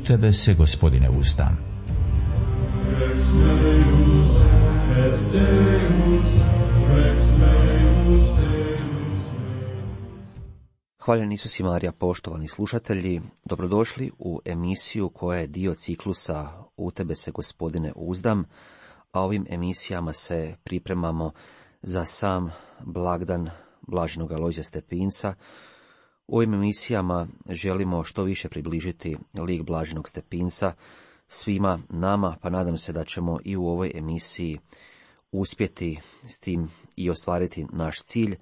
tebe se, Gospodine, uzdam. Rex meus et Deus, Rex meus Deus. Hvaljen Isus i Marija, poštovani slušatelji, dobrodošli u emisiju koja je dio ciklusa U tebe se, Gospodine, uzdam, a ovim emisijama se pripremamo za sam blagdan blaženog Alojzija Stepinca. U ovim emisijama želimo što više približiti lik blaženog Stepinca svima nama, pa nadam se da ćemo i u ovoj emisiji uspjeti s tim i ostvariti naš cilj.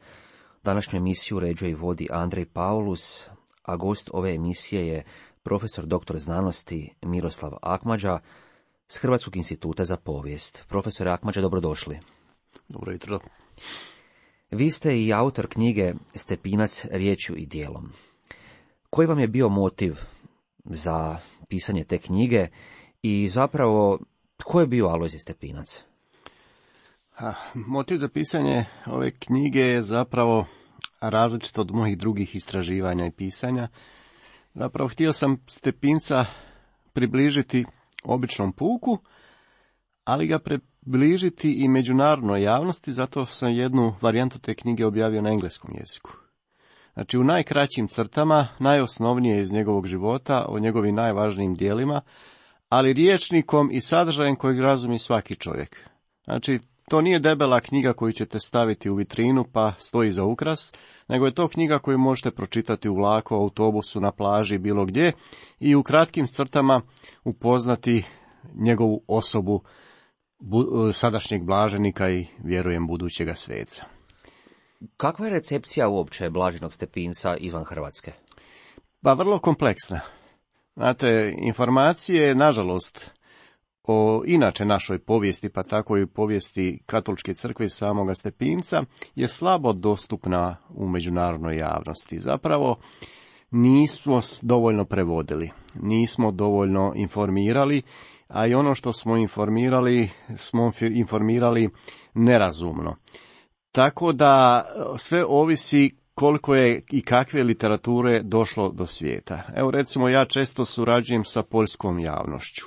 Današnju emisiju uređuje i vodi Andrej Paulus, a gost ove emisije je profesor dr. znanosti Miroslav Akmadža s Hrvatskog instituta za povijest. Profesor Akmadža, dobrodošli. Dobro jutro. Vi ste i autor knjige Stepinac riječju i djelom. Koji vam je bio motiv za pisanje te knjige i zapravo tko je bio Alojzije Stepinac? Motiv za pisanje ove knjige je zapravo različit od mojih drugih istraživanja i pisanja. Zapravo htio sam Stepinca približiti običnom puku, ali ga približiti i međunarodnoj javnosti, zato sam jednu varijantu te knjige objavio na engleskom jeziku. Znači, u najkraćim crtama, najosnovnije iz njegovog života, o njegovim najvažnijim dijelima, ali rječnikom i sadržajem kojeg razumije svaki čovjek. Znači, to nije debela knjiga koju ćete staviti u vitrinu pa stoji za ukras, nego je to knjiga koju možete pročitati u vlaku, autobusu, na plaži, bilo gdje i u kratkim crtama upoznati njegovu osobu sadašnjeg blaženika i, vjerujem, budućega sveca. Kakva je recepcija uopće blaženog Stepinca izvan Hrvatske? Pa vrlo kompleksna. Znate, informacije, nažalost, o inače našoj povijesti, pa tako i povijesti Katoličke crkve i samoga Stepinca, je slabo dostupna u međunarodnoj javnosti. Zapravo, nismo dovoljno prevodili, nismo dovoljno informirali, a i ono što smo informirali nerazumno. Tako da sve ovisi koliko je i kakve literature došlo do svijeta. Evo, recimo, ja često surađujem sa poljskom javnošću.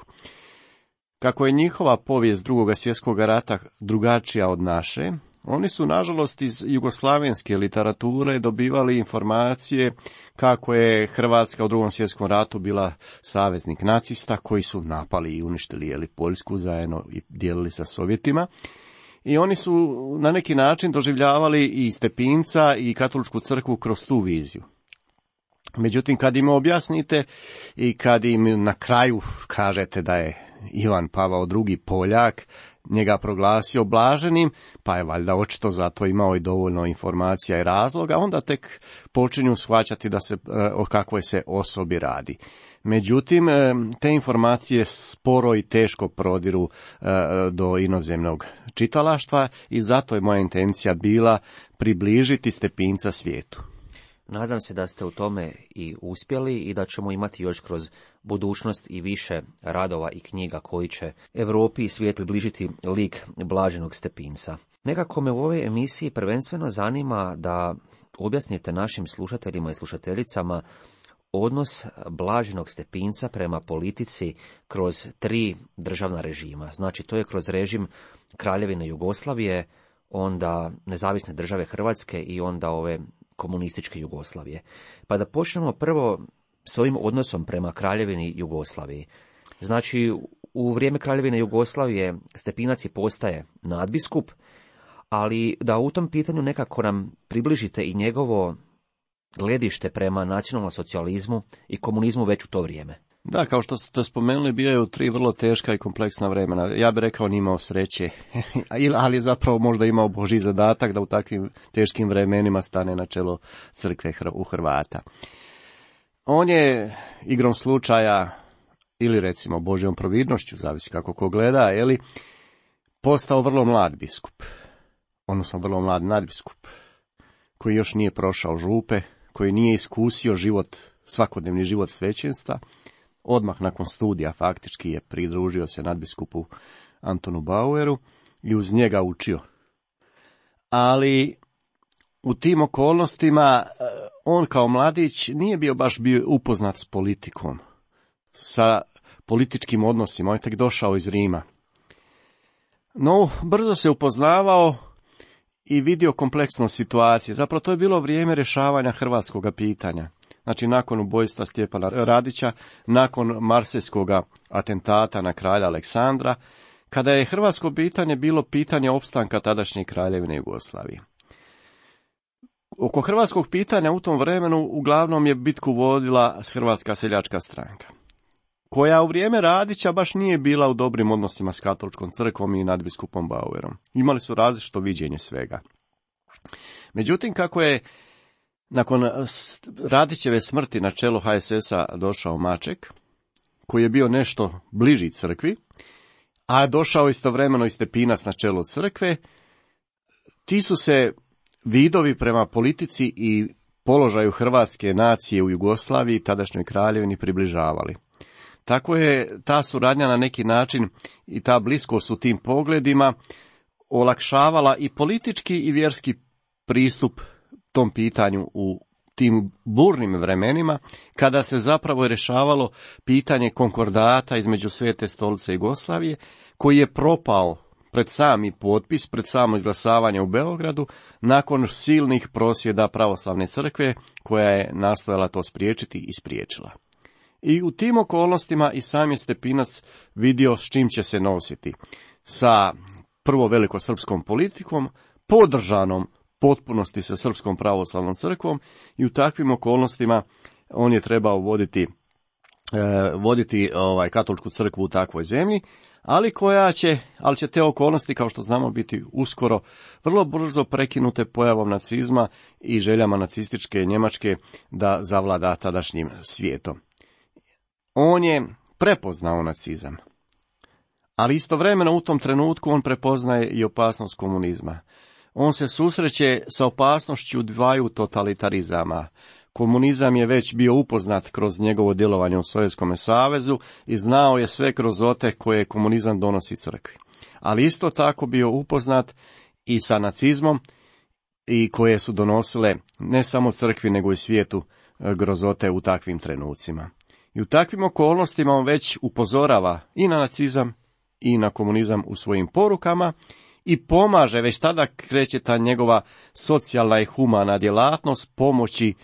Kako je njihova povijest Drugog svjetskog rata drugačija od naše, oni su, nažalost, iz jugoslavenske literature dobivali informacije kako je Hrvatska u Drugom svjetskom ratu bila saveznik nacista koji su napali i uništili Poljsku zajedno i dijelili sa Sovjetima. I oni su na neki način doživljavali i Stepinca i Katoličku crkvu kroz tu viziju. Međutim, kad im objasnite i kad im na kraju kažete da je Ivan Pavao II. Poljak njega proglasio blaženim, pa je valjda očito zato imao i dovoljno informacija i razloga, onda tek počinju shvaćati da se o kakvoj se osobi radi. Međutim, te informacije sporo i teško prodiru do inozemnog čitalaštva i zato je moja intencija bila približiti Stepinca svijetu. Nadam se da ste u tome i uspjeli i da ćemo imati još kroz budućnost i više radova i knjiga koji će Europi i svijet približiti lik blaženog Stepinca. Nekako me u ovoj emisiji prvenstveno zanima da objasnite našim slušateljima i slušateljicama odnos blaženog Stepinca prema politici kroz 3 državna režima. Znači, to je kroz režim Kraljevine Jugoslavije, onda Nezavisne države Hrvatske i onda ove komunističke Jugoslavije. Pa da počnemo prvo s ovim odnosom prema Kraljevini Jugoslaviji. Znači, u vrijeme Kraljevine Jugoslavije Stepinac i postaje nadbiskup, ali da u tom pitanju nekako nam približite i njegovo gledište prema nacionalnom socijalizmu i komunizmu već u to vrijeme. Da, kao što ste spomenuli, bio je u 3 vrlo teška i kompleksna vremena. Ja bih rekao nije imao sreće, ali je zapravo možda imao Božji zadatak da u takvim teškim vremenima stane na čelo crkve u Hrvata. On je igrom slučaja, ili recimo Božjom providnošću, zavisi kako ko gleda, postao vrlo mlad biskup, odnosno vrlo mlad nadbiskup, koji još nije prošao župe, koji nije iskusio svakodnevni život svećenstva. Odmah nakon studija faktički je pridružio se nadbiskupu Antonu Baueru i uz njega učio. Ali u tim okolnostima on kao mladić nije bio upoznat s politikom. sa političkim odnosima, on je tek došao iz Rima. No, brzo se upoznavao i vidio kompleksnost situacije. Zapravo to je bilo vrijeme rješavanja hrvatskog pitanja. Znači, nakon ubojstva Stjepana Radića, nakon marsejskog atentata na kralja Aleksandra, kada je hrvatsko pitanje bilo pitanje opstanka tadašnje Kraljevine Jugoslavije. Oko hrvatskog pitanja u tom vremenu uglavnom je bitku vodila Hrvatska seljačka stranka, koja u vrijeme Radića baš nije bila u dobrim odnosima s katoličkom crkvom i nadbiskupom Bauerom. Imali su različito viđenje svega. Međutim, kako je nakon Radićeve smrti na čelo HSS-a došao Maček, koji je bio nešto bliži crkvi, a došao istovremeno i Stepinac na čelo crkve, ti su se vidovi prema politici i položaju hrvatske nacije u Jugoslaviji, tadašnjoj kraljevini, približavali. Tako je ta suradnja na neki način i ta bliskost u tim pogledima olakšavala i politički i vjerski pristup tom pitanju u tim burnim vremenima, kada se zapravo rješavalo pitanje konkordata između Svete stolice Jugoslavije, koji je propao pred sami potpis, pred samo izglasavanje u Beogradu, nakon silnih prosvjeda pravoslavne crkve, koja je nastojala to spriječiti i spriječila. I u tim okolnostima i sam je Stepinac vidio s čim će se nositi. Sa prvo velikosrpskom politikom, podržanom potpunosti sa Srpskom pravoslavnom crkvom, i u takvim okolnostima on je trebao voditi katoličku crkvu u takvoj zemlji, ali će te okolnosti, kao što znamo, biti uskoro vrlo brzo prekinute pojavom nacizma i željama nacističke Njemačke da zavlada tadašnjim svijetom. On je prepoznao nacizam, ali istovremeno u tom trenutku on prepoznaje i opasnost komunizma. On se susreće sa opasnošću dvaju totalitarizama. Komunizam je već bio upoznat kroz njegovo djelovanje u Sovjetskom savezu i znao je sve grozote koje komunizam donosi crkvi. Ali isto tako bio upoznat i sa nacizmom, i koje su donosile ne samo crkvi nego i svijetu grozote u takvim trenucima. I u takvim okolnostima on već upozorava i na nacizam i na komunizam u svojim porukama i pomaže, već tada kreće ta njegova socijalna i humana djelatnost pomoći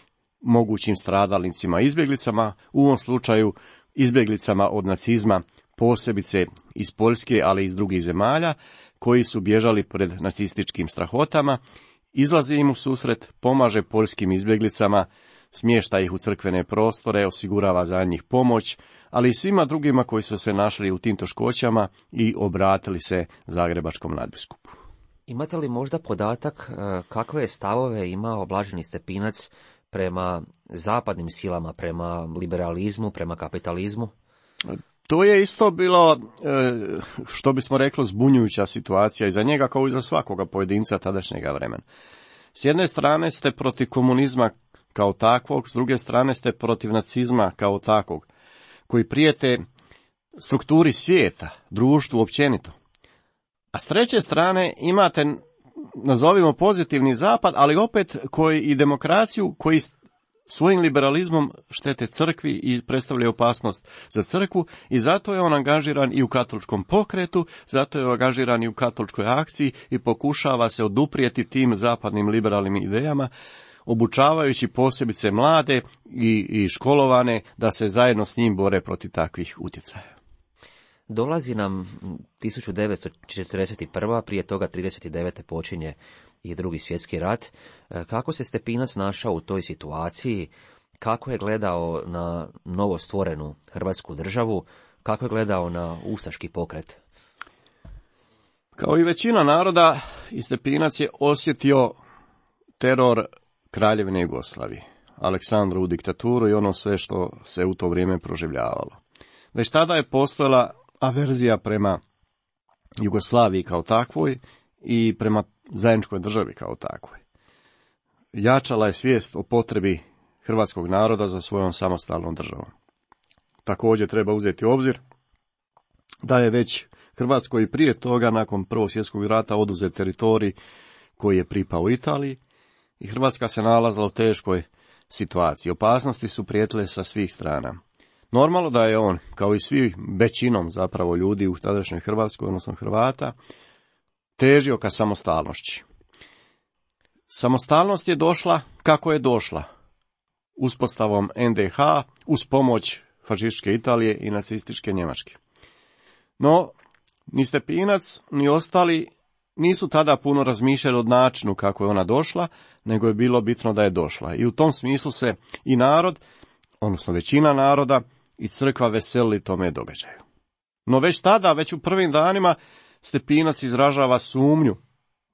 mogućim stradalnicima, izbjeglicama, u ovom slučaju izbjeglicama od nacizma, posebice iz Poljske, ali i iz drugih zemalja, koji su bježali pred nacističkim strahotama, izlazi im u susret, pomaže poljskim izbjeglicama, smješta ih u crkvene prostore, osigurava za njih pomoć, ali i svima drugima koji su se našli u tim teškoćama i obratili se zagrebačkom nadbiskupu. Imate li možda podatak kakve je stavove imao blaženi Stepinac prema zapadnim silama, prema liberalizmu, prema kapitalizmu? To je isto bilo, što bismo rekli, zbunjujuća situacija i za njega kao i za svakoga pojedinca tadašnjega vremena. S jedne strane ste protiv komunizma kao takvog, s druge strane ste protiv nacizma kao takvog, koji prijete strukturi svijeta, društvu općenito. A s treće strane imate, nazovimo, pozitivni zapad, ali opet koji i demokraciju, koji svojim liberalizmom štete crkvi i predstavljaju opasnost za crkvu, i zato je on angažiran i u katoličkom pokretu, zato je angažiran i u katoličkoj akciji i pokušava se oduprijeti tim zapadnim liberalnim idejama, obučavajući posebice mlade i školovane da se zajedno s njim bore protiv takvih utjecaja. Dolazi nam 1941. prije toga 39. počinje i Drugi svjetski rat. Kako se Stepinac našao u toj situaciji? Kako je gledao na novostvorenu Hrvatsku državu? Kako je gledao na ustaški pokret? Kao i većina naroda, i Stepinac je osjetio teror Kraljevine Jugoslavije, Aleksandrovu diktaturu i ono sve što se u to vrijeme proživljavalo. Već tada je postojala averzija prema Jugoslaviji kao takvoj i prema zajedničkoj državi kao takvoj. Jačala je svijest o potrebi hrvatskog naroda za svojom samostalnom državom. Također treba uzeti u obzir da je već Hrvatskoj i prije toga, nakon Prvog svjetskog rata, oduzet teritorij koji je pripao Italiji, i Hrvatska se nalazila u teškoj situaciji. Opasnosti su prijetile sa svih strana. Normalno da je on, kao i svi većinom zapravo ljudi u tadašnjoj Hrvatskoj, odnosno Hrvata, težio ka samostalnošći. Samostalnost je došla kako je došla, uspostavom NDH uz pomoć fašističke Italije i nacističke Njemačke. No, ni Stepinac, ni ostali nisu tada puno razmišljali o načinu kako je ona došla, nego je bilo bitno da je došla. I u tom smislu se i narod, odnosno većina naroda, i crkva veselili tome događaju. No već tada, već u prvim danima, Stepinac izražava sumnju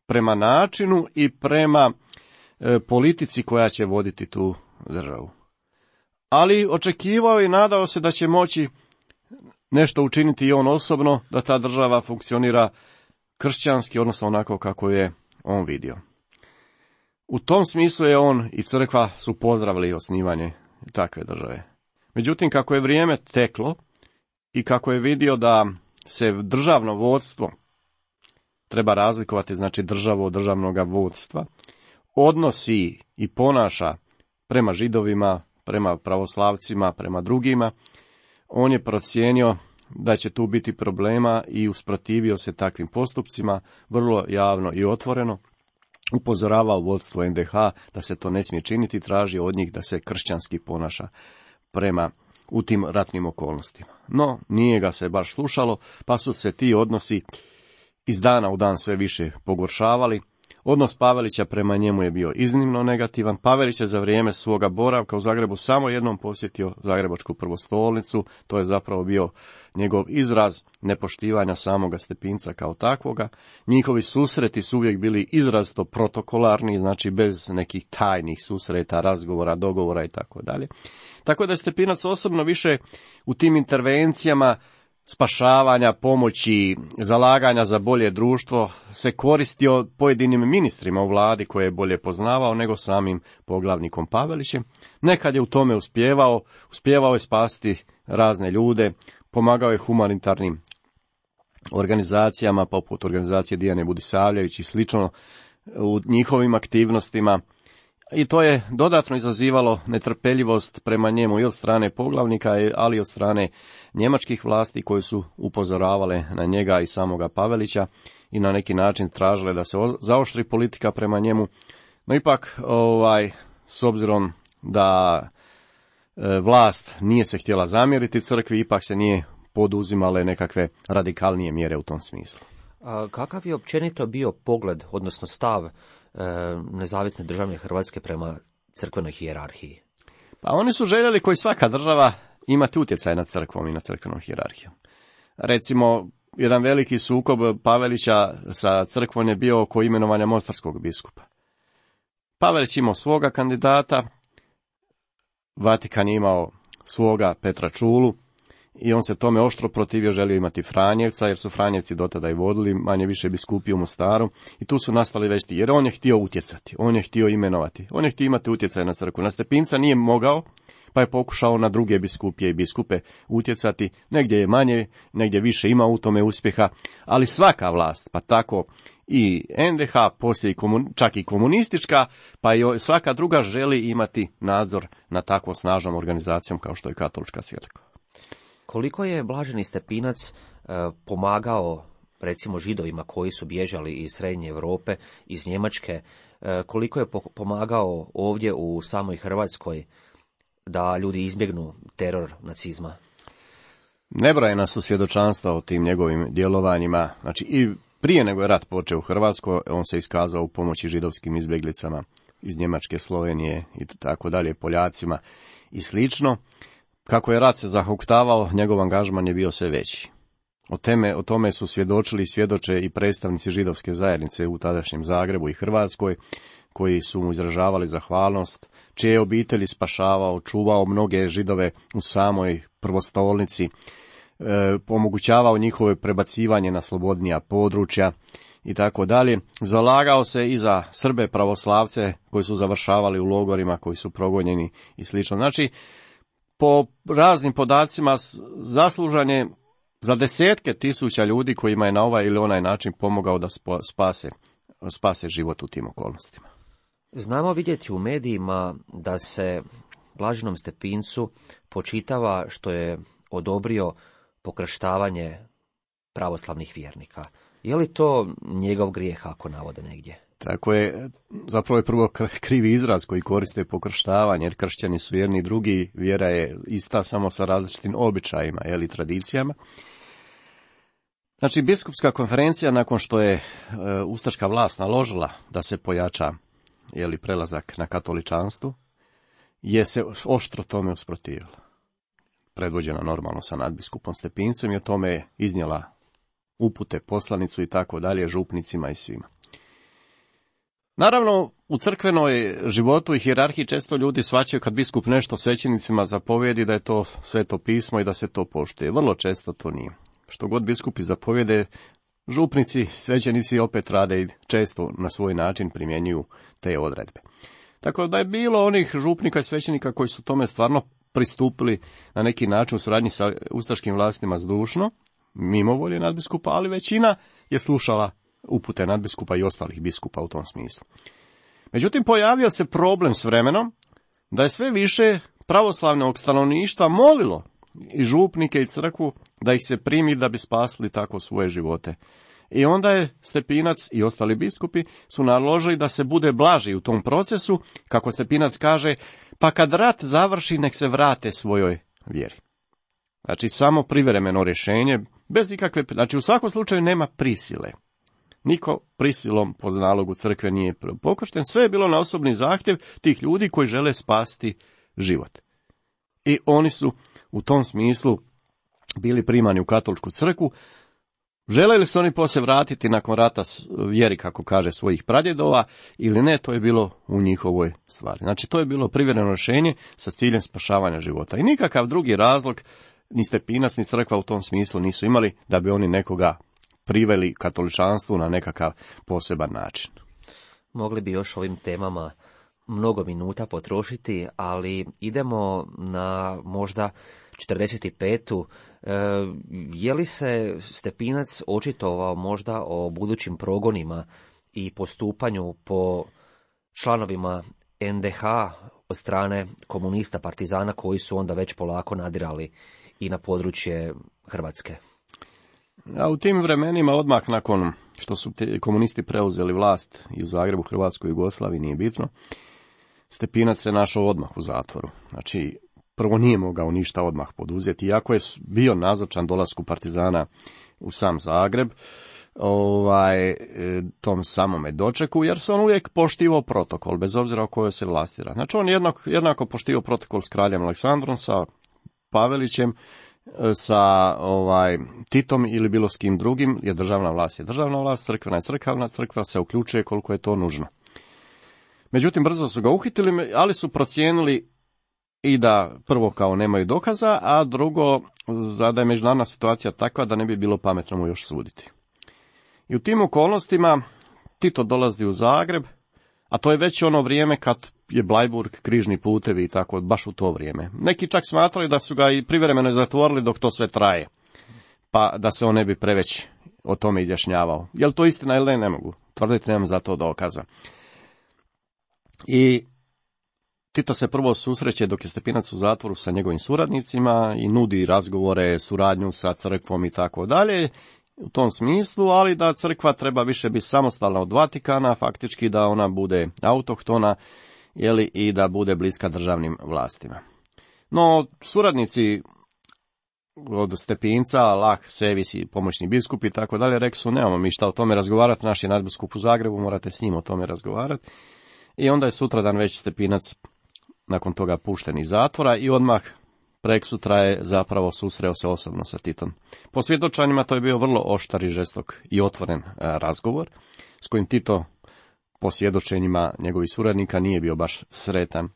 prema načinu i prema politici koja će voditi tu državu. Ali očekivao i nadao se da će moći nešto učiniti i on osobno, da ta država funkcionira kršćanski, odnosno onako kako je on vidio. U tom smislu je on i crkva su pozdravili osnivanje takve države. Međutim, kako je vrijeme teklo i kako je vidio da se državno vodstvo treba razlikovati, znači državu od državnog vodstva, odnosi i ponaša prema Židovima, prema pravoslavcima, prema drugima, on je procijenio da će tu biti problema i usprotivio se takvim postupcima, vrlo javno i otvoreno, upozoravao vodstvo NDH da se to ne smije činiti, tražio od njih da se kršćanski ponaša prema u tim ratnim okolnostima. No, nije ga se baš slušalo, pa su se ti odnosi iz dana u dan sve više pogoršavali. Odnos Pavelića prema njemu je bio iznimno negativan. Pavelić je za vrijeme svoga boravka u Zagrebu samo jednom posjetio Zagrebačku prvostolnicu. To je zapravo bio njegov izraz nepoštivanja samoga Stepinca kao takvoga. Njihovi susreti su uvijek bili izrazito protokolarni, znači bez nekih tajnih susreta, razgovora, dogovora i tako dalje. Tako da je Stepinac osobno više u tim intervencijama spašavanja, pomoći, zalaganja za bolje društvo se koristio pojedinim ministrima u vladi koje je bolje poznavao nego samim poglavnikom Pavelićem. Nekad je u tome uspjevao je spasiti razne ljude, pomagao je humanitarnim organizacijama poput organizacije Dijane Budisavljević i slično u njihovim aktivnostima. I to je dodatno izazivalo netrpeljivost prema njemu i od strane poglavnika, ali i od strane njemačkih vlasti koji su upozoravale na njega i samoga Pavelića i na neki način tražile da se zaoštri politika prema njemu. No ipak, s obzirom da vlast nije se htjela zamjeriti crkvi, ipak se nije poduzimale nekakve radikalnije mjere u tom smislu. A kakav je općenito bio pogled, odnosno stav nezavisne državne Hrvatske prema crkvenoj hijerarhiji? Pa oni su željeli, koji svaka država, imati utjecaj nad crkvom i nad crkvenom hijerarhijom. Recimo, jedan veliki sukob Pavelića sa crkvom je bio oko imenovanja mostarskog biskupa. Pavelić imao svoga kandidata, Vatikan je imao svoga Petra Čulu, i on se tome oštro protivio, želio imati Franjevca, jer su Franjevci dotada i vodili manje više biskupiju u Mostaru, i tu su nastali već jer on je htio utjecati, on je htio imenovati, on je htio imati utjecaj na crkvu. Na Stepinca nije mogao, pa je pokušao na druge biskupije i biskupe utjecati, negdje je manje, negdje više, ima u tome uspjeha, ali svaka vlast, pa tako i NDH, poslije čak i komunistička, pa i svaka druga želi imati nadzor nad takvom snažnom organizacijom kao što je katolička crkva. Koliko je blaženi Stepinac pomagao, recimo, Židovima koji su bježali iz Srednje Europe, iz Njemačke, koliko je pomagao ovdje u samoj Hrvatskoj da ljudi izbjegnu teror nacizma? Nebrojena su svjedočanstva o tim njegovim djelovanjima. Znači, i prije nego je rat počeo u Hrvatskoj, on se iskazao u pomoći židovskim izbjeglicama iz Njemačke, Slovenije i tako dalje, Poljacima i slično. Kako je rat se zahuktavao, njegov angažman je bio sve veći. O tome su svjedočili i svjedoče i predstavnici židovske zajednice u tadašnjem Zagrebu i Hrvatskoj, koji su mu izražavali zahvalnost, čije je obitelji spašavao, čuvao mnoge Židove u samoj prvostolnici, omogućavao njihovo prebacivanje na slobodnija područja i tako dalje. Zalagao se i za Srbe pravoslavce koji su završavali u logorima, koji su progonjeni i slično. Znači, po raznim podacima zaslužan je za desetke tisuća ljudi kojima je na ovaj ili onaj način pomogao da spase život u tim okolnostima. Znamo vidjeti u medijima da se blaženom Stepincu počitava što je odobrio pokrštavanje pravoslavnih vjernika. Je li to njegov grijeh, ako navode negdje? Tako je, zapravo je prvo krivi izraz koji koriste pokrštavanje, jer kršćani su jedni i drugi, vjera je ista samo sa različitim običajima ili tradicijama. Znači, biskupska konferencija, nakon što je ustaška vlast naložila da se pojača prelazak na katoličanstvo, je se oštro tome usprotivila. Predvođena normalno sa nadbiskupom Stepincem i o tome je iznijela upute, poslanicu i tako dalje, župnicima i svima. Naravno, u crkvenoj životu i hijerarhiji često ljudi shvaćaju kad biskup nešto svećenicima zapovjedi da je to sveto pismo i da se to poštuje. Vrlo često to nije. Što god biskupi zapovjede, župnici, svećenici opet rade i često na svoj način primjenjuju te odredbe. Tako da je bilo onih župnika i svećenika koji su tome stvarno pristupili na neki način u suradnji sa ustaškim vlastima zdušno, mimo volje nadbiskupa, ali većina je slušala upute nadbiskupa i ostalih biskupa u tom smislu. Međutim, pojavio se problem s vremenom da je sve više pravoslavnog stanovništva molilo i župnike i crkvu da ih se primi da bi spasili tako svoje živote. I onda je Stepinac i ostali biskupi su naložili da se bude blaži u tom procesu, kako Stepinac kaže, pa kad rat završi nek se vrate svojoj vjeri. Znači samo privremeno rješenje, bez ikakve, znači u svakom slučaju nema prisile. Niko prisilom po nalogu crkve nije pokršten, sve je bilo na osobni zahtjev tih ljudi koji žele spasiti život. I oni su u tom smislu bili primani u katoličku crkvu. Žele li se oni poslije vratiti nakon rata vjeri, kako kaže, svojih pradjedova ili ne, to je bilo u njihovoj stvari. Znači to je bilo privremeno rješenje sa ciljem spašavanja života. I nikakav drugi razlog ni Stepinac ni crkva u tom smislu nisu imali da bi oni nekoga priveli katoličanstvu na nekakav poseban način. Mogli bi još ovim temama mnogo minuta potrošiti, ali idemo na možda 45. Je li se Stepinac očitovao možda o budućim progonima i postupanju po članovima NDH od strane komunista, partizana koji su onda već polako nadirali i na područje Hrvatske? A u tim vremenima, odmah nakon što su komunisti preuzeli vlast i u Zagrebu, Hrvatskoj, Jugoslaviji, nije bitno, Stepinac se našao odmah u zatvoru. Znači, prvo nije mogao ništa odmah poduzeti, iako je bio nazočan dolasku partizana u sam Zagreb, tom samome dočeku, jer se on uvijek poštivao protokol, bez obzira o kojoj se vlasti radi. Znači, on jednako poštivao protokol s kraljem Aleksandrom, sa Pavelićem, sa Titom ili bilo s kim drugim, jer državna vlast je državna vlast, crkvena je crkavna, crkva se uključuje koliko je to nužno. Međutim, brzo su ga uhitili, ali su procijenili i da prvo kao nemaju dokaza, a drugo da je međunarodna situacija takva da ne bi bilo pametno mu još suditi. I u tim okolnostima Tito dolazi u Zagreb, a to je već ono vrijeme kad je Bleiburg, križni putevi i tako, baš u to vrijeme. Neki čak smatrali da su ga i privremeno zatvorili dok to sve traje, pa da se on ne bi preveć o tome izjašnjavao. Je li to istina ili ne mogu tvrditi, nemam za to dokaza. I Tito se prvo susreće dok je Stepinac u zatvoru sa njegovim suradnicima i nudi razgovore, suradnju sa crkvom i tako dalje, u tom smislu, ali da crkva treba više biti samostalna od Vatikana, faktički da ona bude autohtona, i da bude bliska državnim vlastima. No, suradnici od Stepinca, Lah, Sevis i pomoćni biskup i tako dalje, rekli su, nemamo mi šta o tome razgovarati, naš je nadbiskup u Zagrebu, morate s njim o tome razgovarati. I onda je sutradan već Stepinac nakon toga pušten iz zatvora i odmah preksutra je zapravo susreo se osobno sa Titom. Po svjedočanjima to je bio vrlo oštar i žestok i otvoren razgovor, s kojim Tito po svjedočenjima njegovih suradnika nije bio baš sretan.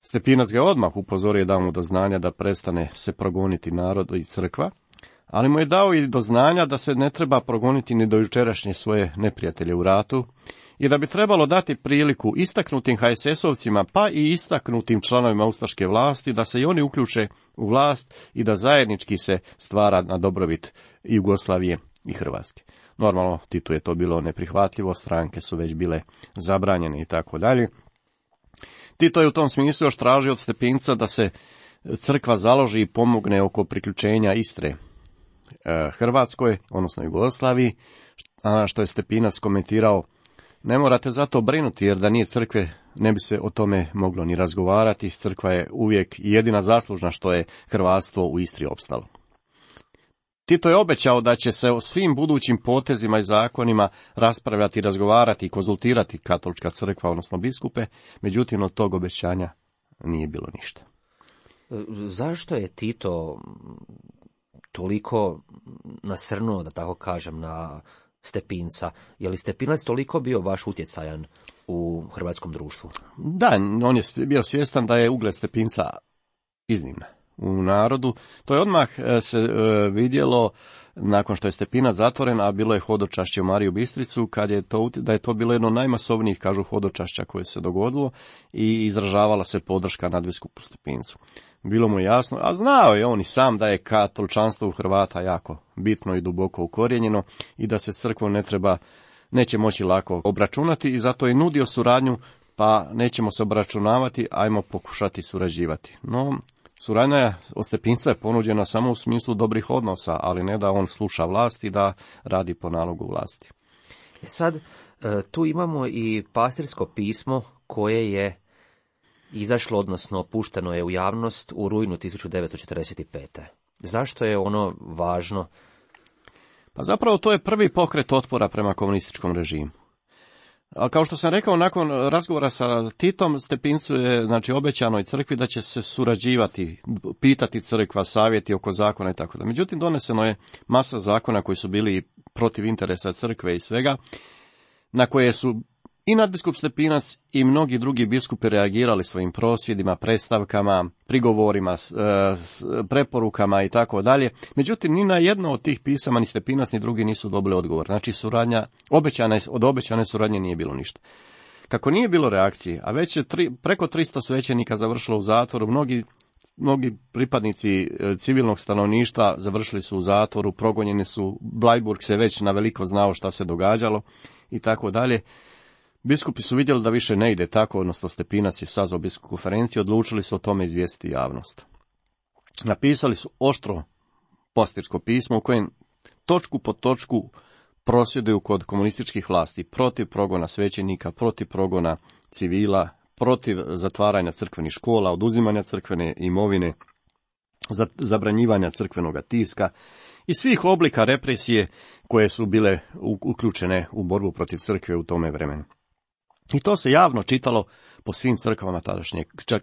Stepinac ga odmah upozorio i dao mu do znanja da prestane se progoniti narod i crkva, ali mu je dao i do znanja da se ne treba progoniti ni do jučerašnje svoje neprijatelje u ratu i da bi trebalo dati priliku istaknutim HSS-ovcima pa i istaknutim članovima ustaške vlasti da se i oni uključe u vlast i da zajednički se stvara na dobrobit Jugoslavije i Hrvatske. Normalno, Titu je to bilo neprihvatljivo, stranke su već bile zabranjene i tako dalje. Tito je u tom smislu još tražio od Stepinca da se crkva založi i pomogne oko priključenja Istre Hrvatskoj, odnosno Jugoslaviji, a što je Stepinac komentirao: ne morate zato brinuti, jer da nije crkve ne bi se o tome moglo ni razgovarati, crkva je uvijek jedina zaslužna što je hrvatstvo u Istri opstalo. Tito je obećao da će se o svim budućim potezima i zakonima raspravljati, razgovarati i konzultirati katolička crkva, odnosno biskupe, međutim od tog obećanja nije bilo ništa. Zašto je Tito toliko nasrnuo, da tako kažem, na Stepinca? Je li Stepinac toliko bio baš utjecajan u hrvatskom društvu? Da, on je bio svjestan da je ugled Stepinca iznimna u narodu. To je odmah se vidjelo nakon što je Stepinac zatvoren, a bilo je hodočašće u Mariju Bistricu, da je to bilo jedno od najmasovnijih, kažu, hodočašća koje se dogodilo i izražavala se podrška nadbiskupu Stepincu. Bilo mu jasno, a znao je on i sam da je katoličanstvo u Hrvata jako bitno i duboko ukorijenjeno i da se s crkvom neće moći lako obračunati, i zato je nudio suradnju, pa nećemo se obračunavati, ajmo pokušati surađivati. No, suradnja od Stepinca je ponuđena samo u smislu dobrih odnosa, ali ne da on sluša vlast i da radi po nalogu vlasti. Sad, tu imamo i pastirsko pismo koje je izašlo, odnosno pušteno je u javnost u rujnu 1945. Zašto je ono važno? Pa zapravo to je prvi pokret otpora prema komunističkom režimu. A kao što sam rekao, nakon razgovora sa Titom, Stepincu je obećano i crkvi da će se surađivati, pitati crkva, savjeti oko zakona i tako da. Međutim, doneseno je masa zakona koji su bili protiv interesa crkve i svega, na koje su i nadbiskup Stepinac i mnogi drugi biskupi reagirali svojim prosvjedima, predstavkama, prigovorima, preporukama i tako dalje. Međutim, ni na jedno od tih pisama ni Stepinac ni drugi nisu dobili odgovor. Znači, suradnja, od obećane suradnje nije bilo ništa. Kako nije bilo reakcije, a već je preko 300 svećenika završilo u zatvoru, mnogi pripadnici civilnog stanovništva završili su u zatvoru, progonjeni su, Blajburg se već naveliko znao šta se događalo i tako dalje. Biskupi su vidjeli da više ne ide tako, odnosno Stepinac je sazvao biskupsku konferenciju, odlučili su o tome izvijestiti javnost. Napisali su oštro pastirsko pismo u kojem točku po točku prosvjeduju kod komunističkih vlasti protiv progona svećenika, protiv progona civila, protiv zatvaranja crkvenih škola, oduzimanja crkvene imovine, zabranjivanja crkvenoga tiska i svih oblika represije koje su bile uključene u borbu protiv crkve u tome vremenu. I to se javno čitalo po svim crkvama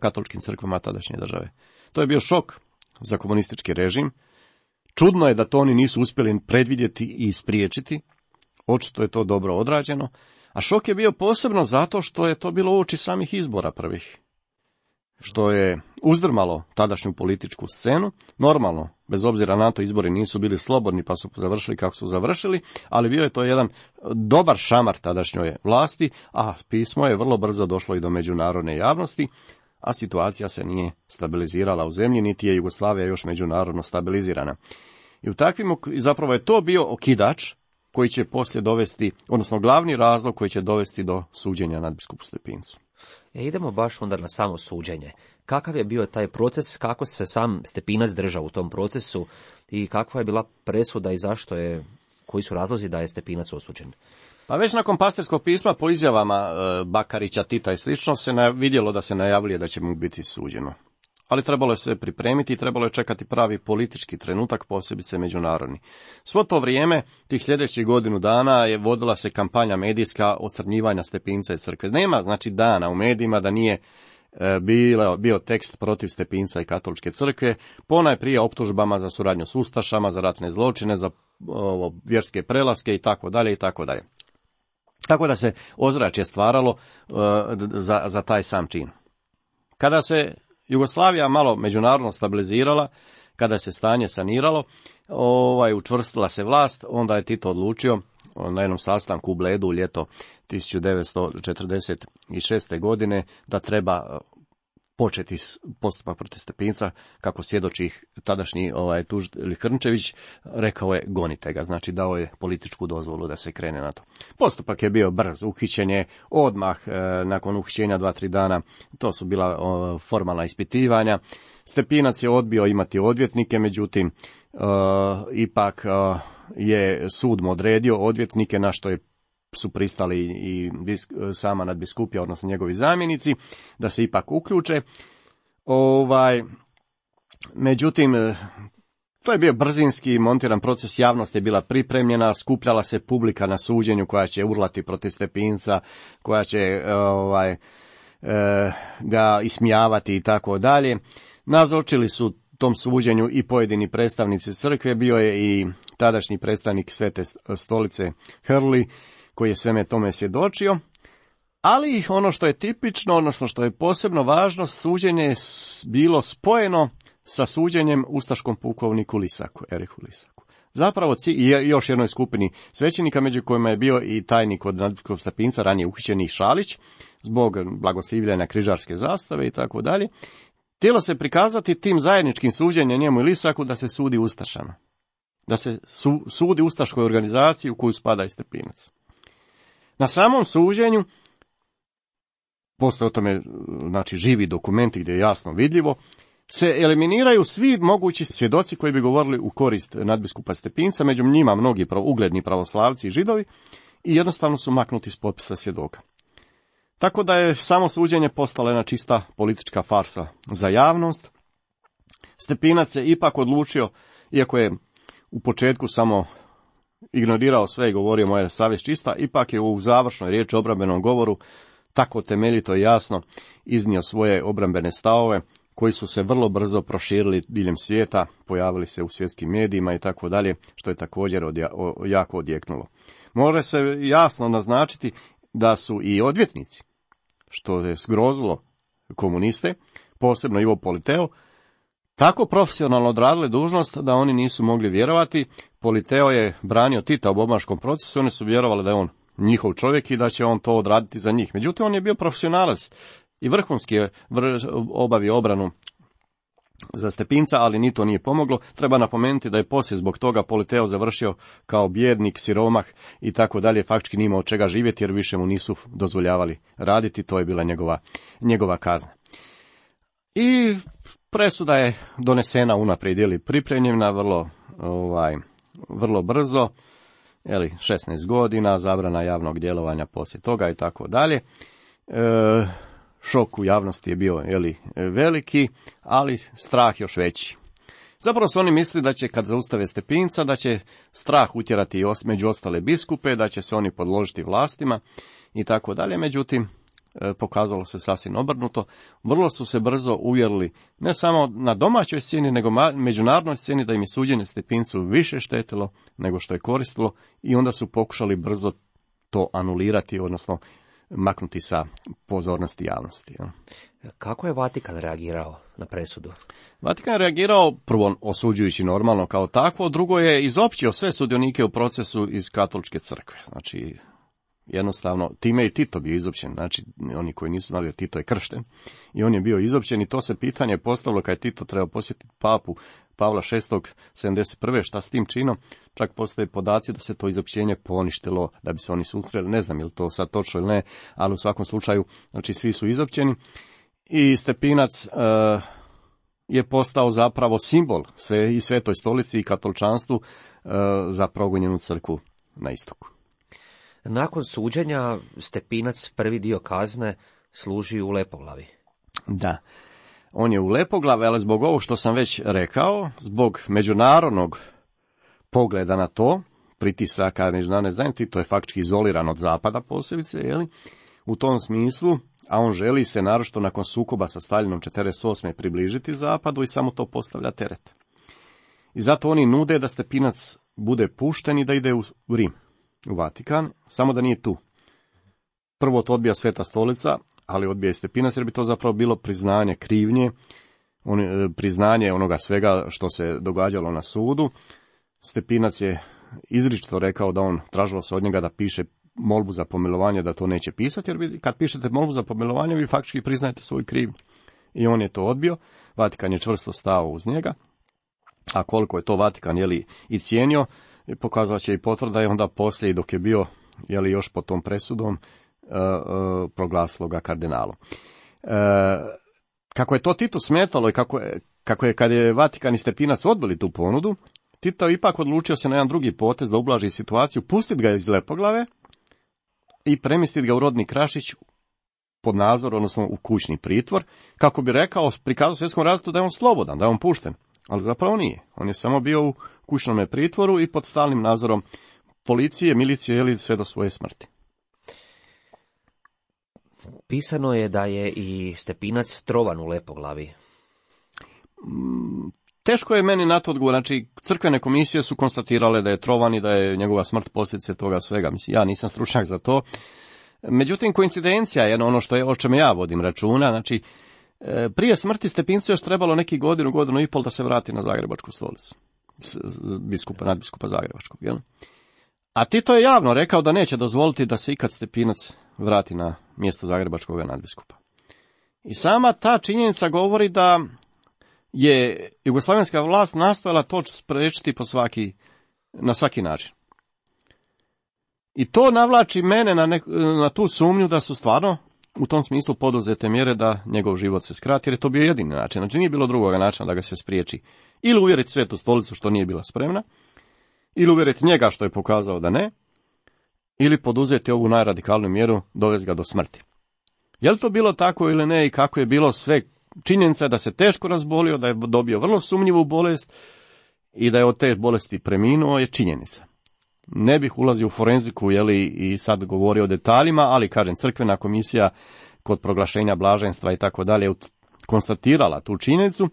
katoličkim crkvama tadašnje države. To je bio šok za komunistički režim. Čudno je da to oni nisu uspjeli predvidjeti i ispriječiti. Očito je to dobro odrađeno. A šok je bio posebno zato što je to bilo uoči samih izbora prvih, što je uzdrmalo tadašnju političku scenu. Normalno, bez obzira na to, izbori nisu bili slobodni pa su završili kako su završili, ali bio je to jedan dobar šamar tadašnjoj vlasti, a pismo je vrlo brzo došlo i do međunarodne javnosti, a situacija se nije stabilizirala u zemlji, niti je Jugoslavija još međunarodno stabilizirana. I u takvim, zapravo je to bio okidač koji će poslije dovesti, odnosno glavni razlog koji će dovesti do suđenja nadbiskupu Stepincu. Idemo baš onda na samo suđenje. Kakav je bio taj proces, kako se sam Stepinac držao u tom procesu i kakva je bila presuda i koji su razlozi da je Stepinac osuđen? Pa već nakon pastirskog pisma, po izjavama Bakarića, Tita i slično, se vidjelo da se najavljuje da će mu biti suđeno. Ali trebalo je sve pripremiti i trebalo je čekati pravi politički trenutak, posebice međunarodni. Svo to vrijeme, tih sljedećih godinu dana, je vodila se kampanja medijska ocrnjivanja Stepinca i crkve. Nema, dana u medijima da nije bio tekst protiv Stepinca i katoličke crkve, ponajprije optužbama za suradnju s ustašama, za ratne zločine, za vjerske prelaske i tako dalje i tako dalje. Tako da se ozračje stvaralo za taj sam čin. Kada se Jugoslavija malo međunarodno stabilizirala, kada se stanje saniralo, učvrstila se vlast, onda je Tito odlučio na jednom sastanku u Bledu u ljeto 1946. godine da treba početi postupak protiv Stepinca, kako svjedoči tadašnji tužitelj Hrnčević, rekao je gonite ga, znači dao je političku dozvolu da se krene na to. Postupak je bio brz, uhićen je odmah nakon uhićenja 2-3 dana, to su bila formalna ispitivanja. Stepinac je odbio imati odvjetnike, međutim ipak je sud mu odredio odvjetnike, na što su pristali i sama nadbiskupija, odnosno njegovi zamjenici, da se ipak uključe. Međutim, to je bio brzinski montiran proces, javnost je bila pripremljena, skupljala se publika na suđenju koja će urlati protiv Stepinca, koja će ga ismijavati i tako dalje. Nazočili su tom suđenju i pojedini predstavnici crkve, bio je i tadašnji predstavnik Svete stolice Hrli, koji je sveme tome svjedočio, ali ono što je tipično, odnosno što je posebno važno, suđenje je bilo spojeno sa suđenjem ustaškom pukovniku Lisaku, Erihu Lisaku. Zapravo i još jednoj skupini svećenika, među kojima je bio i tajnik od nadbiskupskog Stepinca, ranije uhićeni Šalić, zbog blagoslivljanja križarske zastave i tako dalje. Htjelo se prikazati tim zajedničkim suđenjem njemu i Lisaku da se sudi ustašama. Da se sudi ustaškoj organizaciji u koju spada i Stepinac. Na samom suđenju, postoje o tome živi dokumenti gdje je jasno vidljivo, se eliminiraju svi mogući svjedoci koji bi govorili u korist nadbiskupa Stepinca, među njima mnogi ugledni pravoslavci i židovi, i jednostavno su maknuti s popisa svjedoka. Tako da je samo suđenje postalo jedna čista politička farsa za javnost. Stepinac se ipak odlučio, iako je u početku samo ignorirao sve i govorio moja savjest čista, ipak je u završnoj riječi obrambenom govoru tako temeljito i jasno iznio svoje obrambene stavove, koji su se vrlo brzo proširili diljem svijeta, pojavili se u svjetskim medijima i tako dalje, što je također jako odjeknulo. Može se jasno naznačiti da su i odvjetnici, što je zgrozilo komuniste, posebno Ivo Politeo, tako profesionalno odradili dužnost da oni nisu mogli vjerovati. Politeo je branio Tita u Bobanskom procesu, oni su vjerovali da je on njihov čovjek i da će on to odraditi za njih. Međutim, on je bio profesionalac i vrhunski je obavio obranu za Stepinca, ali ni to nije pomoglo. Treba napomenuti da je poslije zbog toga Politeo završio kao bijednik, siromah i tako dalje, faktički nije imao od čega živjeti jer više mu nisu dozvoljavali raditi, to je bila njegova kazna. I presuda je donesena unaprijed ili pripremljena vrlo brzo, 16 godina, zabrana javnog djelovanja poslije toga i tako dalje. Šok u javnosti je bio veliki, ali strah još veći. Zapravo su oni mislili da će kad zaustave Stepinca, da će strah utjerati među ostale biskupe, da će se oni podložiti vlastima i tako dalje. Međutim, pokazalo se sasvim obrnuto. Vrlo su se brzo uvjerili ne samo na domaćoj sceni, nego međunarodnoj sceni da im je suđenje Stepincu više štetilo nego što je koristilo i onda su pokušali brzo to anulirati, odnosno maknuti sa pozornosti javnosti. Kako je Vatikan reagirao na presudu? Vatikan je reagirao prvo osuđujući normalno kao takvo, drugo je izopćio sve sudionike u procesu iz katoličke crkve. Znači, jednostavno, time i Tito bio izopćen, znači oni koji nisu znali da Tito je kršten i on je bio izopćen i to se pitanje postavilo kad je Tito trebao posjetiti papu Pavla VI. 71. šta s tim činom, čak postoje podaci da se to izopćenje poništilo, da bi se oni susreli, ne znam je li to sad točno ili ne, ali u svakom slučaju, znači svi su izopćeni i Stepinac je postao zapravo simbol i Svetoj stolici i katoličanstvu za progonjenu crkvu na istoku. Nakon suđenja Stepinac prvi dio kazne služi u Lepoglavi. Da, on je u Lepoglavi, ali zbog ovog što sam već rekao, zbog međunarodnog pogleda na to, pritisaka međunarodne zajednice, to je faktički izoliran od zapada posebice, u tom smislu, a on želi se naročito nakon sukoba sa Staljinom 1948. približiti zapadu i samo to postavlja teret. I zato oni nude da Stepinac bude pušten i da ide u Rim, u Vatikan, samo da nije tu. Prvo to odbija Sveta stolica, ali odbija i Stepinac jer bi to zapravo bilo priznanje krivnje, priznanje onoga svega što se događalo na sudu. Stepinac je izričito rekao da on tražilo se od njega da piše molbu za pomilovanje, da to neće pisati, jer kad pišete molbu za pomilovanje, vi faktički priznajete svoju krivnju. i on je to odbio. Vatikan je čvrsto stao uz njega, a koliko je to Vatikan i cijenio, pokazala će i potvrda, i onda poslije, dok je bio još pod tom presudom, proglasilo ga kardinalom. Kako je to Titu smetalo i kako je kad je Vatikan i Stepinac odbili tu ponudu, Tito ipak odlučio se na jedan drugi potez da ublaži situaciju, pustiti ga iz Lepoglave i premjestiti ga u rodni Krašić pod nadzor, odnosno u kućni pritvor, kako bi rekao, prikazao svjetskom ratu da je on slobodan, da je on pušten, ali zapravo nije. On je samo bio u kućnom pritvoru i pod stalnim nadzorom policije, milicije, sve do svoje smrti. Pisano je da je i Stepinac trovan u Lepoglavi. Teško je meni na to odgovor. Znači, crkvene komisije su konstatirale da je trovan i da je njegova smrt posljedice toga svega. Mislim, ja nisam stručnjak za to. Međutim, koincidencija je ono o čemu ja vodim računa. Znači, prije smrti Stepincu još trebalo neki godinu i pol da se vrati na Zagrebačku stolicu. Nadbiskupa Zagrebačkog. Jel? A Tito je javno rekao da neće dozvoliti da se ikad Stepinac vrati na mjesto Zagrebačkog nadbiskupa. I sama ta činjenica govori da je jugoslavenska vlast nastojala to spriječiti na svaki način. I to navlači mene na tu sumnju da su stvarno u tom smislu poduzete mjere da njegov život se skrati, jer je to bio jedini način. Znači nije bilo drugoga načina da ga se spriječi. Ili uvjeriti Svetu stolicu što nije bila spremna, ili uvjeriti njega što je pokazao da ne, ili poduzeti ovu najradikalniju mjeru, dovesti ga do smrti. Je li to bilo tako ili ne i kako je bilo sve? Činjenica je da se teško razbolio, da je dobio vrlo sumnjivu bolest i da je od te bolesti preminuo, je činjenica. Ne bih ulazio u forenziku i sad govorio o detaljima, ali kažem, crkvena komisija kod proglašenja blaženstva i tako dalje konstatirala tu činjenicu.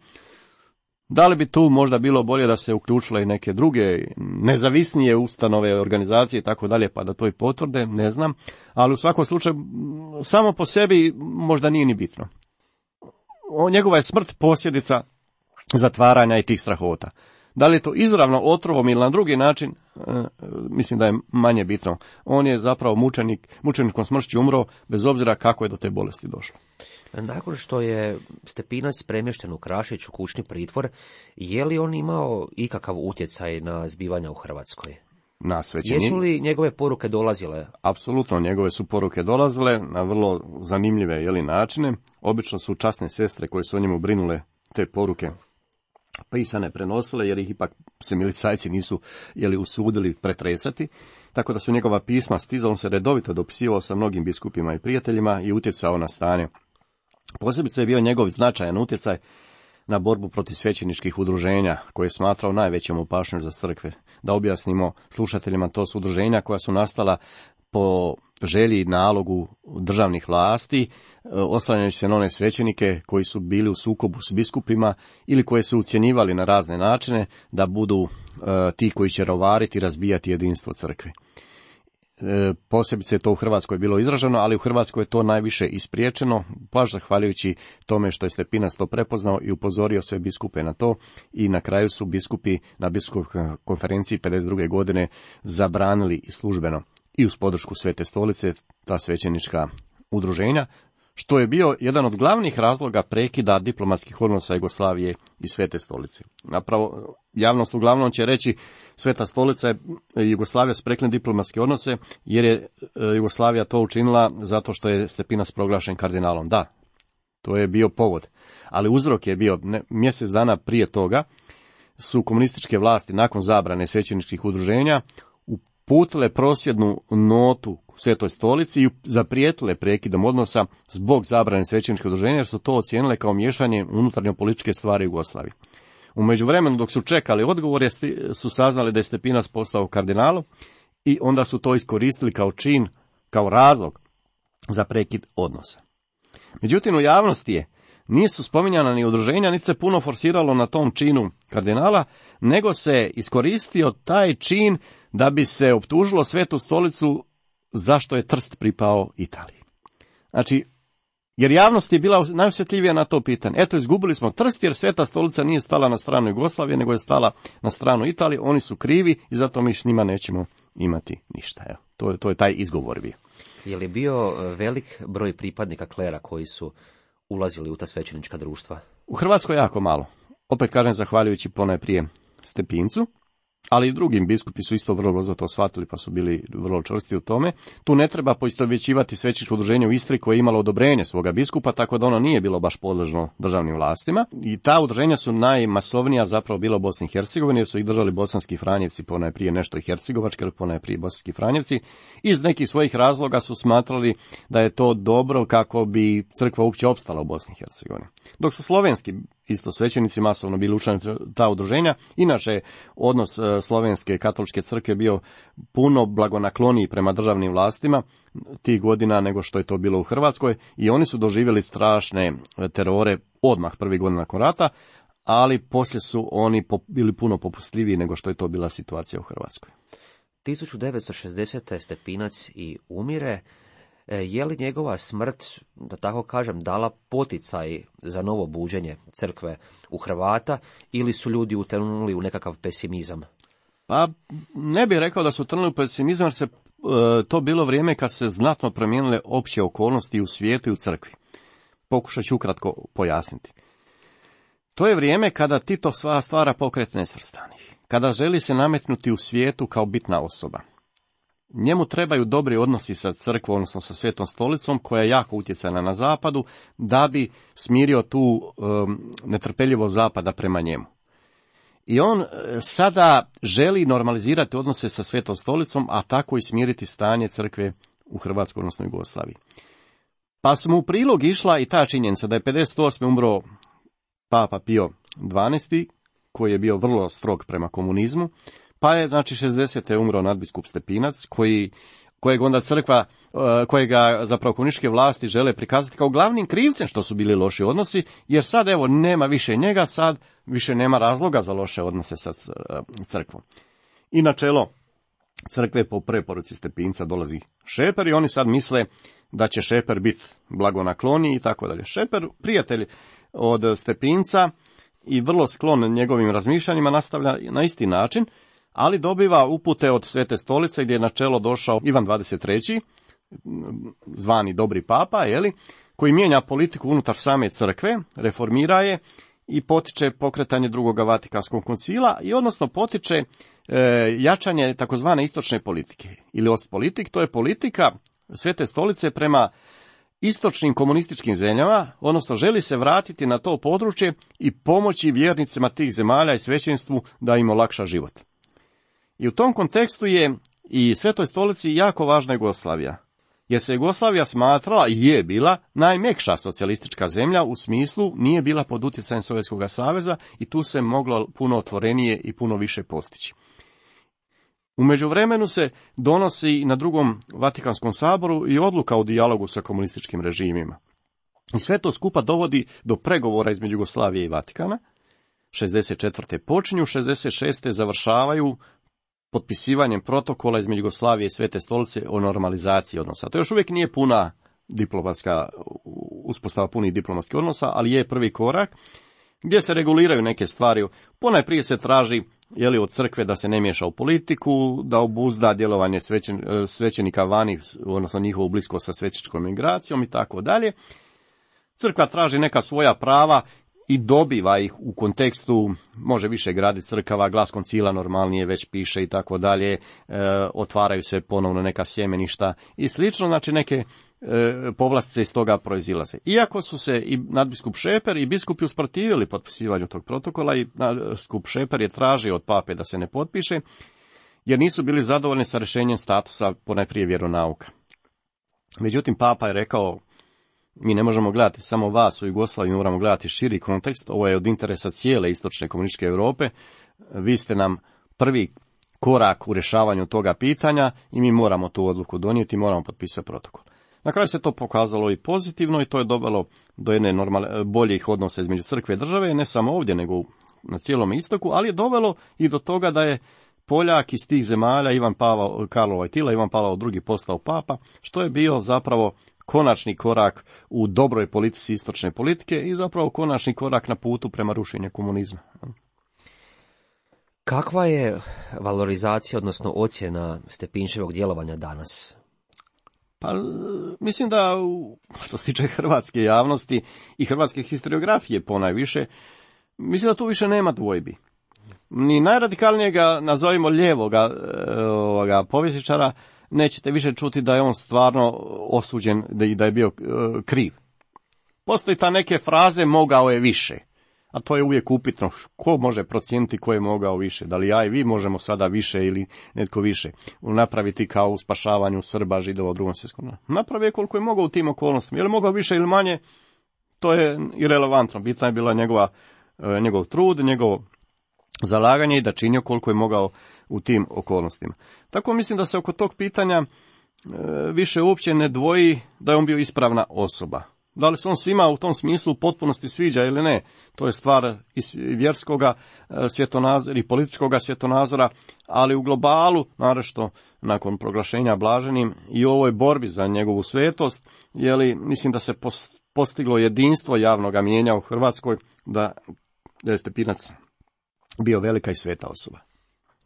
Da li bi tu možda bilo bolje da se uključile i neke druge nezavisnije ustanove, organizacije i tako dalje, pa da to i potvrde, ne znam, ali u svakom slučaju samo po sebi možda nije ni bitno. Njegova je smrt posljedica zatvaranja i tih strahota. Da li je to izravno otrovom ili na drugi način, mislim da je manje bitno. On je zapravo mučeničkom smršću umro, bez obzira kako je do te bolesti došlo. Nakon što je Stepinac premješten u Krašić u kućni pritvor, je li on imao ikakav utjecaj na zbivanja u Hrvatskoj? Na svećenje. Jesu li njegove poruke dolazile? Apsolutno, njegove su poruke dolazile na vrlo zanimljive načine. Obično su časne sestre koje su o njemu brinule te poruke pisane prenosile, jer ih ipak se milicajci nisu usudili pretresati, tako da su njegova pisma stizala, on se redovito dopisivao sa mnogim biskupima i prijateljima i utjecao na stanje. Posebice je bio njegov značajan utjecaj na borbu protiv svećeničkih udruženja, koje je smatrao najvećom opašnošću za crkve. Da objasnimo slušateljima, to su udruženja koja su nastala po želji i nalogu državnih vlasti, oslanjajući se na one svećenike koji su bili u sukobu s biskupima ili koje su ucjenjivali na razne načine da budu ti koji će rovariti i razbijati jedinstvo crkve. Posebice je to u Hrvatskoj bilo izraženo, ali u Hrvatskoj je to najviše ispriječeno, baš zahvaljujući tome što je Stepinac to prepoznao i upozorio sve biskupe na to, i na kraju su biskupi na biskupskoj konferenciji 52. godine zabranili i službeno i uz podršku Svete stolice ta svećenička udruženja, što je bio jedan od glavnih razloga prekida diplomatskih odnosa Jugoslavije i Svete stolice. Napravo, javnost uglavnom će reći Sveta stolica i Jugoslavija sprekli diplomatske odnose, jer je Jugoslavija to učinila zato što je Stepinac proglašen kardinalom. Da, to je bio povod, ali uzrok je bio mjesec dana prije toga su komunističke vlasti nakon zabrane svećeničkih udruženja uputile prosvjednu notu Svetoj stolici i zaprijetile prekidom odnosa zbog zabrane svećeničkih udruženja, jer su to ocijenile kao miješanje unutarnjo političke stvari u Jugoslaviji. U međuvremenu, dok su čekali odgovor, su saznali da je Stepinac postao kardinalom i onda su to iskoristili kao čin, kao razlog za prekid odnosa. Međutim, u javnosti nisu spominjana ni udruženja, niti se puno forsiralo na tom činu kardinala, nego se iskoristio taj čin da bi se optužilo Svetu stolicu zašto je Trst pripao Italiji. Znači, jer javnost je bila najosjetljivija na to pitanje. Eto, izgubili smo Trst jer Sveta stolica nije stala na stranu Jugoslavije, nego je stala na stranu Italije, oni su krivi i zato mi s njima nećemo imati ništa. Evo, to je taj izgovor bio. Je li bio velik broj pripadnika klera koji su ulazili u ta svećenička društva? U Hrvatskoj jako malo. Opet kažem, zahvaljujući ponajprije Stepincu, ali i drugim biskupi su isto vrlo brzo to shvatili, pa su bili vrlo čvrsti u tome. Tu ne treba poistovjećivati svećeničko udruženje u Istri koje je imalo odobrenje svoga biskupa, tako da ono nije bilo baš podležno državnim vlastima. I ta udruženja su najmasovnija zapravo bila u Bosni i Hercegovini, jer su ih držali bosanski franjevci, ponajprije nešto i hercegovački, ali ponajprije bosanski franjevci. Iz nekih svojih razloga su smatrali da je to dobro kako bi crkva uopće opstala u Bosni i Hercegovini. Dok su slovenski isto svećenici masovno bili učlani ta udruženja. Inače, odnos slovenske katoličke crkve bio puno blagonakloniji prema državnim vlastima tih godina nego što je to bilo u Hrvatskoj i oni su doživjeli strašne terore odmah prvih godina nakon rata, ali poslije su oni bili puno popustljiviji nego što je to bila situacija u Hrvatskoj. 1960. Stepinac i umire. Je li njegova smrt, da tako kažem, dala poticaj za novo buđenje crkve u Hrvata ili su ljudi utonuli u nekakav pesimizam? Pa ne bih rekao da su utonuli u pesimizam, jer se to bilo vrijeme kad se znatno promijenile opće okolnosti u svijetu i u crkvi. Pokušat ću ukratko pojasniti. To je vrijeme kada Tito stvara pokret nesvrstanih, kada želi se nametnuti u svijetu kao bitna osoba. Njemu trebaju dobri odnosi sa crkvom, odnosno sa Svetom stolicom, koja je jako utjecajna na zapadu, da bi smirio tu netrpeljivost zapada prema njemu. I on sada želi normalizirati odnose sa Svetom stolicom, a tako i smiriti stanje crkve u Hrvatskoj, odnosno Jugoslaviji. Pa su mu u prilog išla i ta činjenica da je 58. umro Papa Pio XII, koji je bio vrlo strog prema komunizmu, pa je, znači, 60. umro nadbiskup Stepinac, kojeg onda crkva, kojega zapravo komunističke vlasti žele prikazati kao glavnim krivcem što su bili loši odnosi, jer sad, evo, nema više njega, sad više nema razloga za loše odnose sa crkvom. I na čelo crkve po preporuci Stepinca dolazi Šeper i oni sad misle da će Šeper biti blagonakloniji i tako dalje. Šeper, prijatelj od Stepinca i vrlo sklon njegovim razmišljanjima, nastavlja na isti način, ali dobiva upute od Svete stolice gdje je na čelo došao Ivan XXIII, zvani Dobri papa, koji mijenja politiku unutar same crkve, reformira je i potiče pokretanje drugoga Vatikanskog koncila i odnosno potiče jačanje takozvane istočne politike ili ostpolitik. To je politika Svete stolice prema istočnim komunističkim zemljama, odnosno želi se vratiti na to područje i pomoći vjernicima tih zemalja i svećenstvu da im olakša život. I u tom kontekstu je i Svetoj stolici jako važna Jugoslavija, jer se Jugoslavija smatrala i je bila najmekša socijalistička zemlja, u smislu nije bila pod utjecajem Sovjetskog saveza i tu se moglo puno otvorenije i puno više postići. U međuvremenu se donosi na drugom Vatikanskom saboru i odluka o dijalogu sa komunističkim režimima. I sve to skupa dovodi do pregovora između Jugoslavije i Vatikana. 64. počinju, 66. završavaju potpisivanjem protokola između Jugoslavije i Svete stolice o normalizaciji odnosa. To još uvijek nije puna diplomatska uspostava punih diplomatskih odnosa, ali je prvi korak gdje se reguliraju neke stvari. Ponajprije se traži od crkve da se ne miješa u politiku, da obuzda djelovanje svećenika vani, odnosno njihovu bliskost sa svećeničkom migracijom i tako dalje. Crkva traži neka svoja prava i dobiva ih u kontekstu, može više graditi crkava, glas koncila normalnije već piše i tako dalje, otvaraju se ponovno neka sjemeništa i slično, znači neke povlastice iz toga proizilaze. Iako su se i nadbiskup Šeper i biskupi usprotivili potpisivanju tog protokola i nadbiskup Šeper je tražio od pape da se ne potpiše, jer nisu bili zadovoljni sa rješenjem statusa ponajprije vjeronauka. Međutim, papa je rekao, mi ne možemo gledati samo vas u Jugoslaviji, moramo gledati širi kontekst, ovo je od interesa cijele istočne komunističke Europe, vi ste nam prvi korak u rješavanju toga pitanja i mi moramo tu odluku donijeti, moramo potpisati protokol. Na kraju se to pokazalo i pozitivno i to je dovelo do jedne boljih odnosa između crkve i države, ne samo ovdje nego na cijelom istoku, ali je dovelo i do toga da je Poljak iz tih zemalja, Karlo Wojtyla, Ivan Pavao II postao papa, što je bio zapravo konačni korak u dobroj politici istočne politike i zapravo konačni korak na putu prema rušenju komunizma. Kakva je valorizacija, odnosno ocjena Stepinčevog djelovanja danas? Pa mislim da što se tiče hrvatske javnosti i hrvatske historiografije ponajviše, mislim da tu više nema dvojbi. Ni najradikalnijega, nazovimo lijevoga povjesničara, nećete više čuti da je on stvarno osuđen i da je bio kriv. Postoji ta neke fraze mogao je više, a to je uvijek upitno. Ko može procijeniti ko je mogao više? Da li ja i vi možemo sada više ili netko više napraviti kao u spašavanju Srba, Židova u Drugom svjetskom ratu? Napravio koliko je mogao u tim okolnostima. Je li mogao više ili manje? To je irelevantno. Bitna je bila njegov trud, njegovo zalaganje i da činio koliko je mogao u tim okolnostima. Tako mislim da se oko tog pitanja više uopće ne dvoji da je on bio ispravna osoba. Da li se on svima u tom smislu u potpunosti sviđa ili ne, to je stvar i vjerskoga svjetonazora i političkoga svjetonazora, ali u globalu, naročito nakon proglašenja blaženim i u ovoj borbi za njegovu svetost, mislim da se postiglo jedinstvo javnoga mijenja u Hrvatskoj, da je Stepinac bio velika i sveta osoba.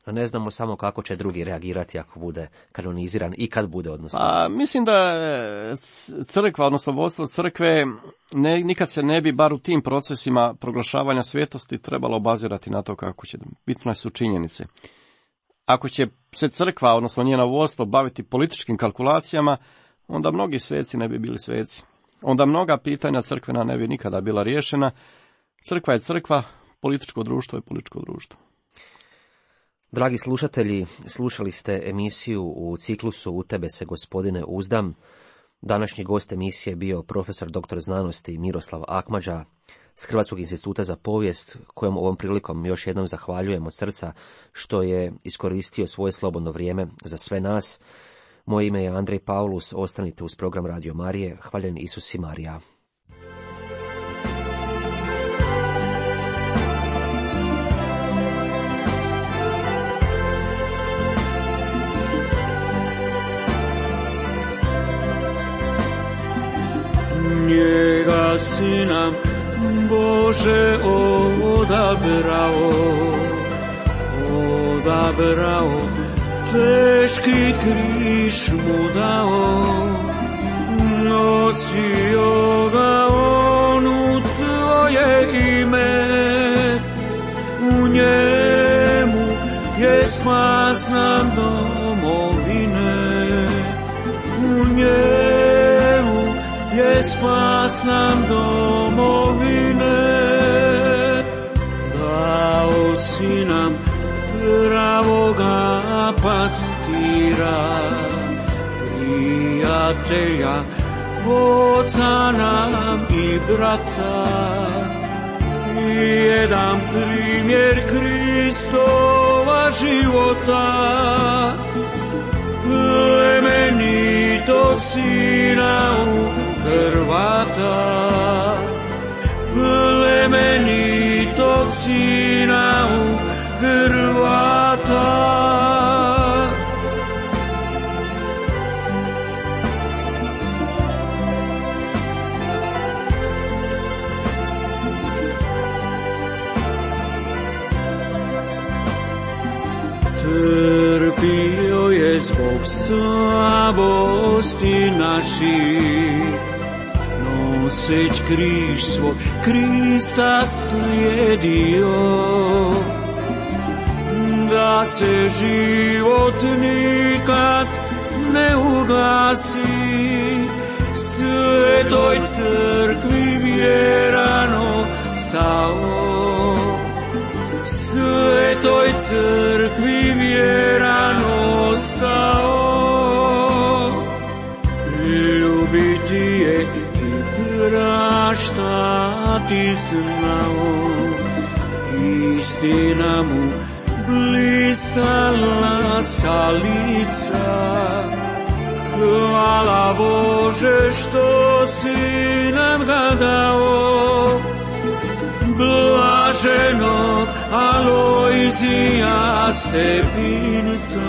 A ne znamo samo kako će drugi reagirati ako bude kanoniziran i kad bude, odnosno. Mislim da crkva, odnosno vodstvo crkve, nikad se ne bi, bar u tim procesima proglašavanja svetosti, trebalo obazirati na to kako će. Bitne su činjenice. Ako će se crkva, odnosno njena vodstvo, baviti političkim kalkulacijama, onda mnogi sveci ne bi bili sveci. Onda mnoga pitanja crkvena ne bi nikada bila riješena. Crkva je crkva, političko društvo je političko društvo. Dragi slušatelji, slušali ste emisiju u ciklusu U tebe se, gospodine, uzdam. Današnji gost emisije je bio profesor dr. znanosti Miroslav Akmadža s Hrvatskog instituta za povijest, kojem ovom prilikom još jednom zahvaljujem od srca što je iskoristio svoje slobodno vrijeme za sve nas. Moje ime je Andrej Paulus, ostanite uz program Radio Marije. Hvaljen Isus i Marija. Njega si nam, Bože, odabrao, teški križ mu dao, nosio ga on u tvoje ime, u njemu je spas nam domovine, u njemu je spas nam domovine. Dao si nam pravoga pastira, prijatelja, oca nam i brata, jedan primjer Kristova života, plemenitog sina u Hrvata, plemenitog sina u Hrvata. Trpio je zbog slabosti naših, noseć križ svoj Krista slijedio, da se život nikad ne ugasi, svetoj crkvi vjerano stao, svetoj crkvi vjerano stao, ljubiti je i praštati znao, istina mu blistala sa lica. Hvala Bože što si nam ga dao, blaženog Alojzija Stepinca,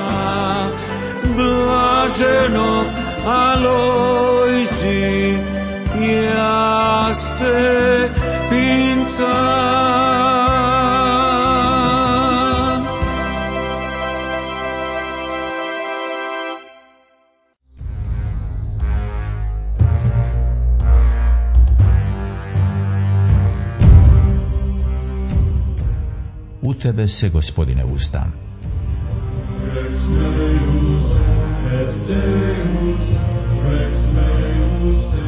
blaženog Alojzija Stepinca. U tebe se, Gospodine, uzdam. Rex Deus et Deus, Rex Deus